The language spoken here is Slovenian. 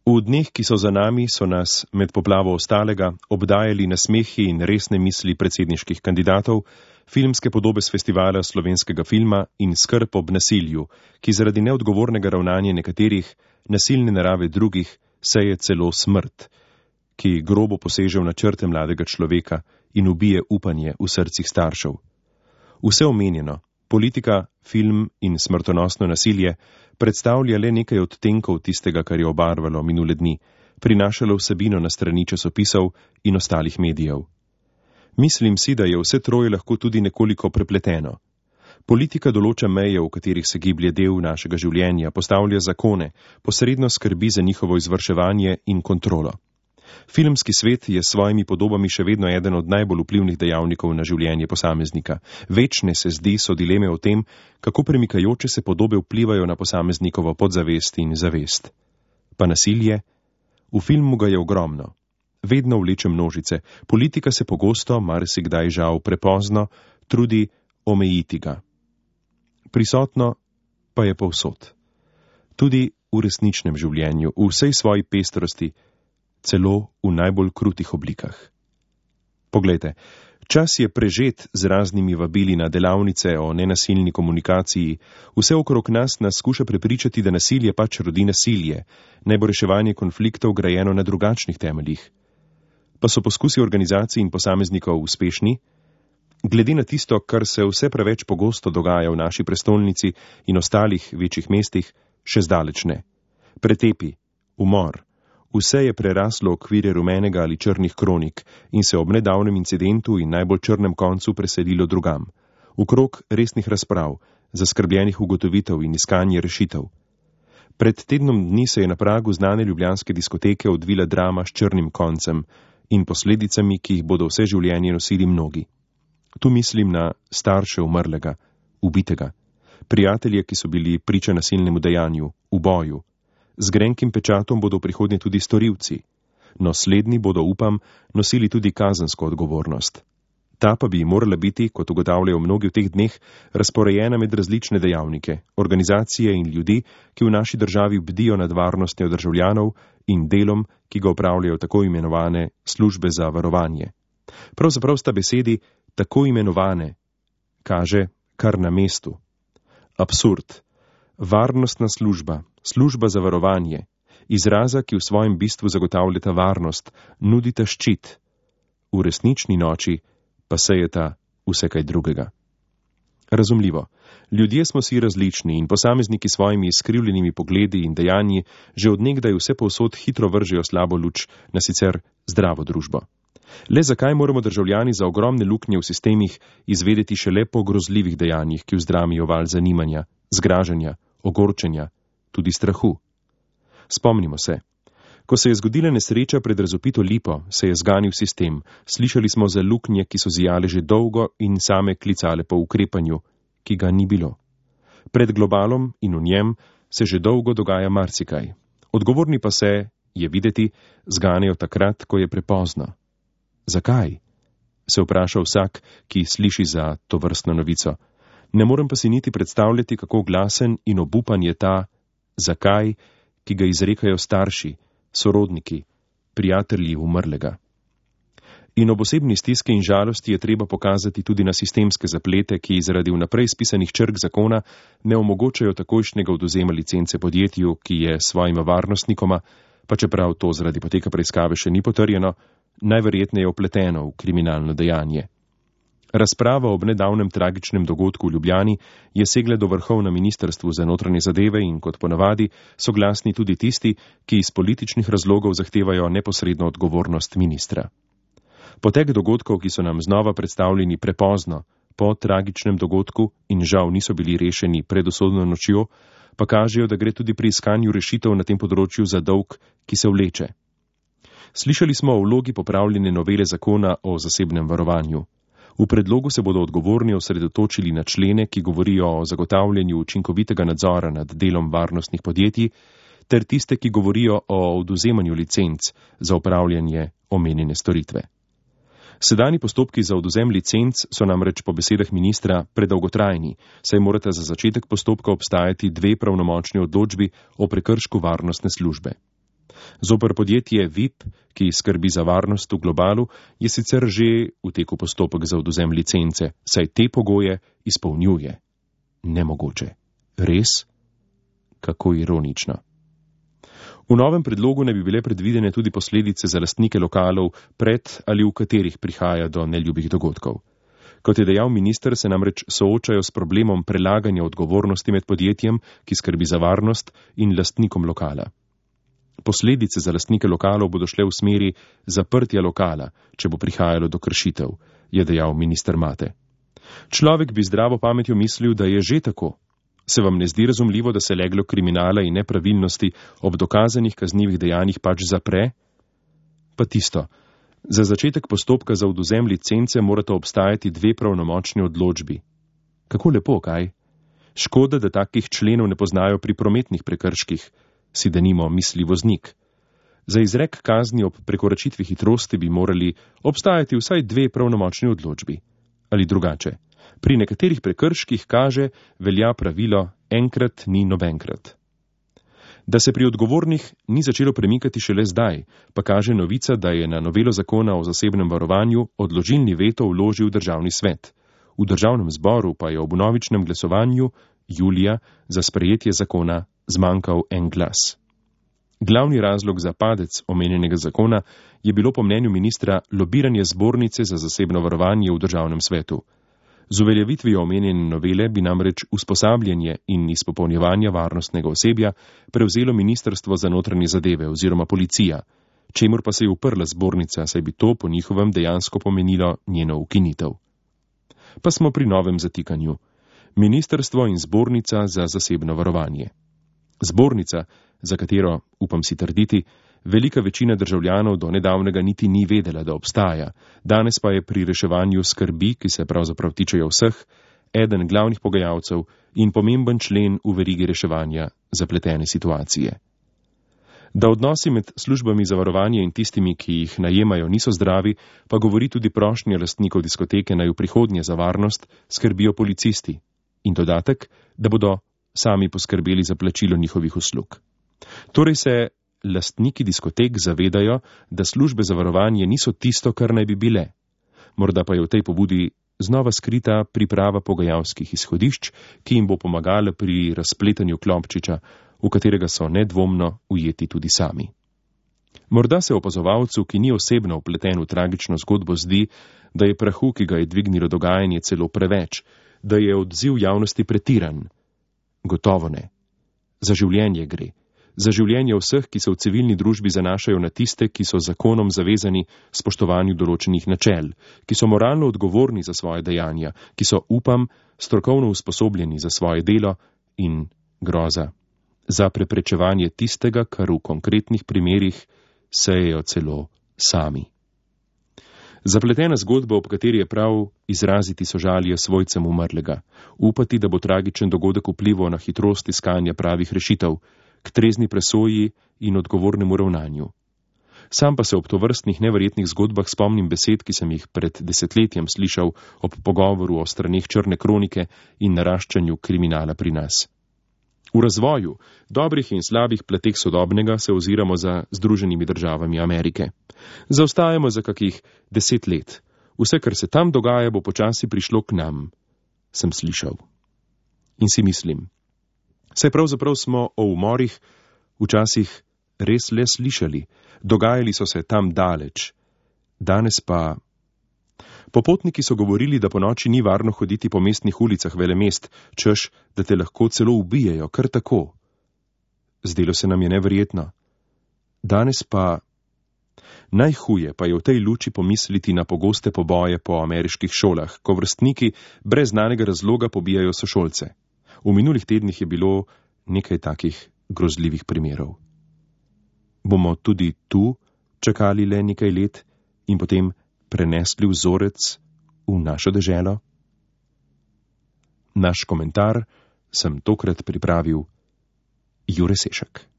V dneh, ki so za nami, so nas med poplavo ostalega obdajali nasmehi in resne misli predsedniških kandidatov, filmske podobe s festivala slovenskega filma in skrb ob nasilju, ki zaradi neodgovornega ravnanja nekaterih, nasilne narave drugih, seje celo smrt, ki grobo poseže v načrte mladega človeka in ubije upanje v srcih staršev. Vse omenjeno, politika, film in smrtonosno nasilje predstavlja le nekaj odtenkov tistega, kar je obarvalo minule dni, prinašalo vsebino na strani časopisov in ostalih medijev. Mislim si, da je vse troje lahko tudi nekoliko prepleteno. Politika določa meje, v katerih se giblje del našega življenja, postavlja zakone, posredno skrbi za njihovo izvrševanje in kontrolo. Filmski svet je s svojimi podobami še vedno eden od najbolj vplivnih dejavnikov na življenje posameznika. Večne se zdi so dileme o tem, kako premikajoče se podobe vplivajo na posameznikovo podzavest in zavest. Pa nasilje? V filmu ga je ogromno. Vedno vleče množice. Politika se pogosto, marsikdaj žal prepozno, trudi omejiti ga. Prisotno pa je povsod. Tudi v resničnem življenju, v vsej svoji pestrosti, celo v najbolj krutih oblikah. Poglejte, čas je prežet z raznimi vabili na delavnice o nenasilni komunikaciji. Vse okrog nas skuša prepričati, da nasilje pač rodi nasilje, naj bo reševanje konfliktov grajeno na drugačnih temeljih. Pa so poskusi organizacij in posameznikov uspešni? Glede na tisto, kar se vse preveč pogosto dogaja v naši prestolnici in ostalih večjih mestih, še zdaleč ne. Pretepi, umor, vse je preraslo okvire rumenega ali črnih kronik in se ob nedavnem incidentu in najbolj črnem koncu preselilo drugam, v krog resnih razprav, zaskrbljenih ugotovitev in iskanje rešitev. Pred tednom dni se je na pragu znane ljubljanske diskoteke odvila drama s črnim koncem in posledicami, ki jih bodo vse življenje nosili mnogi. Tu mislim na starše umrlega, ubitega, prijatelje, ki so bili priča nasilnemu dejanju, uboju. Z grenkim pečatom bodo v prihodnje tudi storilci, no slednji bodo, upam, nosili tudi kazensko odgovornost. Ta pa bi morala biti, kot ugotavljajo mnogi v teh dneh, razporejena med različne dejavnike, organizacije in ljudi, ki v naši državi bdijo nad varnostjo državljanov in delom, ki ga opravljajo tako imenovane službe za varovanje. Pravzaprav sta besedi tako imenovane kaže kar na mestu. Absurd. Varnostna služba, služba za varovanje, izraza, ki v svojem bistvu zagotavljata varnost, nudita ščit. V resnični noči pa sejeta vse kaj drugega. Razumljivo, ljudje smo si različni in posamezniki s svojimi izkrivljenimi pogledi in dejanji že od nekdaj vse povsod hitro vržejo slabo luč na sicer zdravo družbo. Le zakaj moramo državljani za ogromne luknje v sistemih izvedeti šele po grozljivih dejanjih, ki vzdramijo val zanimanja, zgražanja, ogorčenja, tudi strahu? Spomnimo se. Ko se je zgodila nesreča pred razvpito Lipo, se je zganil sistem. Slišali smo za luknje, ki so zijale že dolgo in same klicale po ukrepanju, ki ga ni bilo. Pred globalom in v njem se že dolgo dogaja marsikaj. Odgovorni pa se, je videti, zganejo takrat, ko je prepozno. Zakaj? Se vpraša vsak, ki sliši za to vrstno novico. Ne morem pa si niti predstavljati, kako glasen in obupan je ta zakaj, ki ga izrekajo starši, sorodniki, prijatelji umrlega. In ob osebni stiski in žalosti je treba pokazati tudi na sistemske zaplete, ki zaradi vnaprej spisanih črk zakona ne omogočajo takojšnjega odvzema licence podjetju, ki je svojima varnostnikoma, pa čeprav to zaradi poteka preiskave še ni potrjeno, najverjetneje opleteno v kriminalno dejanje. Razprava ob nedavnem tragičnem dogodku v Ljubljani je segla do vrhov na Ministrstvu za notranje zadeve in kot ponavadi so glasni tudi tisti, ki iz političnih razlogov zahtevajo neposredno odgovornost ministra. Potek dogodkov, ki so nam znova predstavljeni prepozno, po tragičnem dogodku in žal niso bili rešeni pred usodno nočjo, pa kažejo, da gre tudi pri iskanju rešitev na tem področju za dolg, ki se vleče. Slišali smo o vlogi popravljene novele zakona o zasebnem varovanju. V predlogu se bodo odgovorni osredotočili na člene, ki govorijo o zagotavljanju učinkovitega nadzora nad delom varnostnih podjetij, ter tiste, ki govorijo o odvzemanju licenc za opravljanje omenjene storitve. Sedanji postopki za odvzem licenc so namreč po besedah ministra predolgotrajni, saj morata za začetek postopka obstajati 2 pravnomočni odločbi o prekršku varnostne službe. Zoper podjetje VIP, ki skrbi za varnost v Globalu, je sicer že v teku postopek za odvzem licence, saj te pogoje izpolnjuje. Nemogoče. Res? Kako ironično. V novem predlogu ne bi bile predvidene tudi posledice za lastnike lokalov, pred ali v katerih prihaja do neljubih dogodkov. Kot je dejal minister, se namreč soočajo s problemom prelaganja odgovornosti med podjetjem, ki skrbi za varnost, in lastnikom lokala. Posledice za lastnike lokalov bodo šle v smeri zaprtja lokala, če bo prihajalo do kršitev, je dejal minister Mate. Človek bi zdravo pametjo mislil, da je že tako. Se vam ne zdi razumljivo, da se leglo kriminala in nepravilnosti ob dokazanih kaznivih dejanjih pač zapre? Pa tisto. Za začetek postopka za odvzem licence morata obstajati 2 pravnomočni odločbi. Kako lepo, kaj? Škoda, da takih členov ne poznajo pri prometnih prekrških, si denimo misli voznik. Za izrek kazni ob prekoračitvi hitrosti bi morali obstajati vsaj 2 pravnomočni odločbi. Ali drugače. Pri nekaterih prekrških kaže, velja pravilo enkrat ni nobenkrat. Da se pri odgovornih ni začelo premikati šele zdaj, pa kaže novica, da je na novelo zakona o zasebnem varovanju odložilni veto vložil Državni svet. V Državnem zboru pa je ob vnovičnem glasovanju julija za sprejetje zakona zmanjkal en glas. Glavni razlog za padec omenjenega zakona je bilo po mnenju ministra lobiranje zbornice za zasebno varovanje v Državnem svetu. Z uveljavitvijo omenjene novele bi namreč usposabljanje in izpopolnjevanje varnostnega osebja prevzelo Ministrstvo za notranje zadeve oziroma policija, čemur pa se je uprla zbornica, saj bi to po njihovem dejansko pomenilo njeno ukinitev. Pa smo pri novem zatikanju. Ministrstvo in zbornica za zasebno varovanje. Zbornica, za katero, upam si trditi, velika večina državljanov do nedavnega niti ni vedela, da obstaja, danes pa je pri reševanju skrbi, ki se pravzaprav tičejo vseh, eden glavnih pogajalcev in pomemben člen v verigi reševanja zapletene situacije. Da odnosi med službami za varovanje in tistimi, ki jih najemajo, niso zdravi, pa govori tudi prošnja lastnikov diskoteke, naj v prihodnje za varnost skrbijo policisti. In dodatek, da bodo sami poskrbeli za plačilo njihovih uslug. Torej se lastniki diskotek zavedajo, da službe za varovanje niso tisto, kar naj bi bile. Morda pa je v tej pobudi znova skrita priprava pogajalskih izhodišč, ki jim bo pomagala pri razpletanju klopčiča, v katerega so nedvomno ujeti tudi sami. Morda se opazovalcu, ki ni osebno vpleten v tragično zgodbo, zdi, da je prahu, ki ga je dvignilo dogajanje, celo preveč, da je odziv javnosti pretiran. Gotovo ne. Za življenje gre. Za življenje vseh, ki se v civilni družbi zanašajo na tiste, ki so zakonom zavezani spoštovanju določenih načel, ki so moralno odgovorni za svoje dejanja, ki so, upam, strokovno usposobljeni za svoje delo in groza, za preprečevanje tistega, kar v konkretnih primerih sejejo celo sami. Zapletena zgodba, ob kateri je prav izraziti sožalje svojcem umrlega, upati, da bo tragičen dogodek vplival na hitrost iskanja pravih rešitev, k trezni presoji in odgovornemu ravnanju. Sam pa se ob tovrstnih neverjetnih zgodbah spomnim besed, ki sem jih pred desetletjem slišal ob pogovoru o straneh črne kronike in naraščanju kriminala pri nas. V razvoju, dobrih in slabih plateh sodobnega se oziramo za Združenimi državami Amerike. Zaostajamo za kakih 10 let. Vse, kar se tam dogaja, bo počasi prišlo k nam, sem slišal. In si mislim, saj pravzaprav smo o umorih včasih res le slišali, dogajali so se tam daleč. Danes pa... Popotniki so govorili, da po noči ni varno hoditi po mestnih ulicah velemest, češ, da te lahko celo ubijejo, kar tako. Zdelo se nam je neverjetno. Danes pa... Najhuje pa je v tej luči pomisliti na pogoste poboje po ameriških šolah, ko vrstniki brez znanega razloga pobijajo sošolce. V minulih tednih je bilo nekaj takih grozljivih primerov. Bomo tudi tu čakali le nekaj let in potem prenesli vzorec v našo deželo? Naš komentar sem tokrat pripravil Jure Sešak.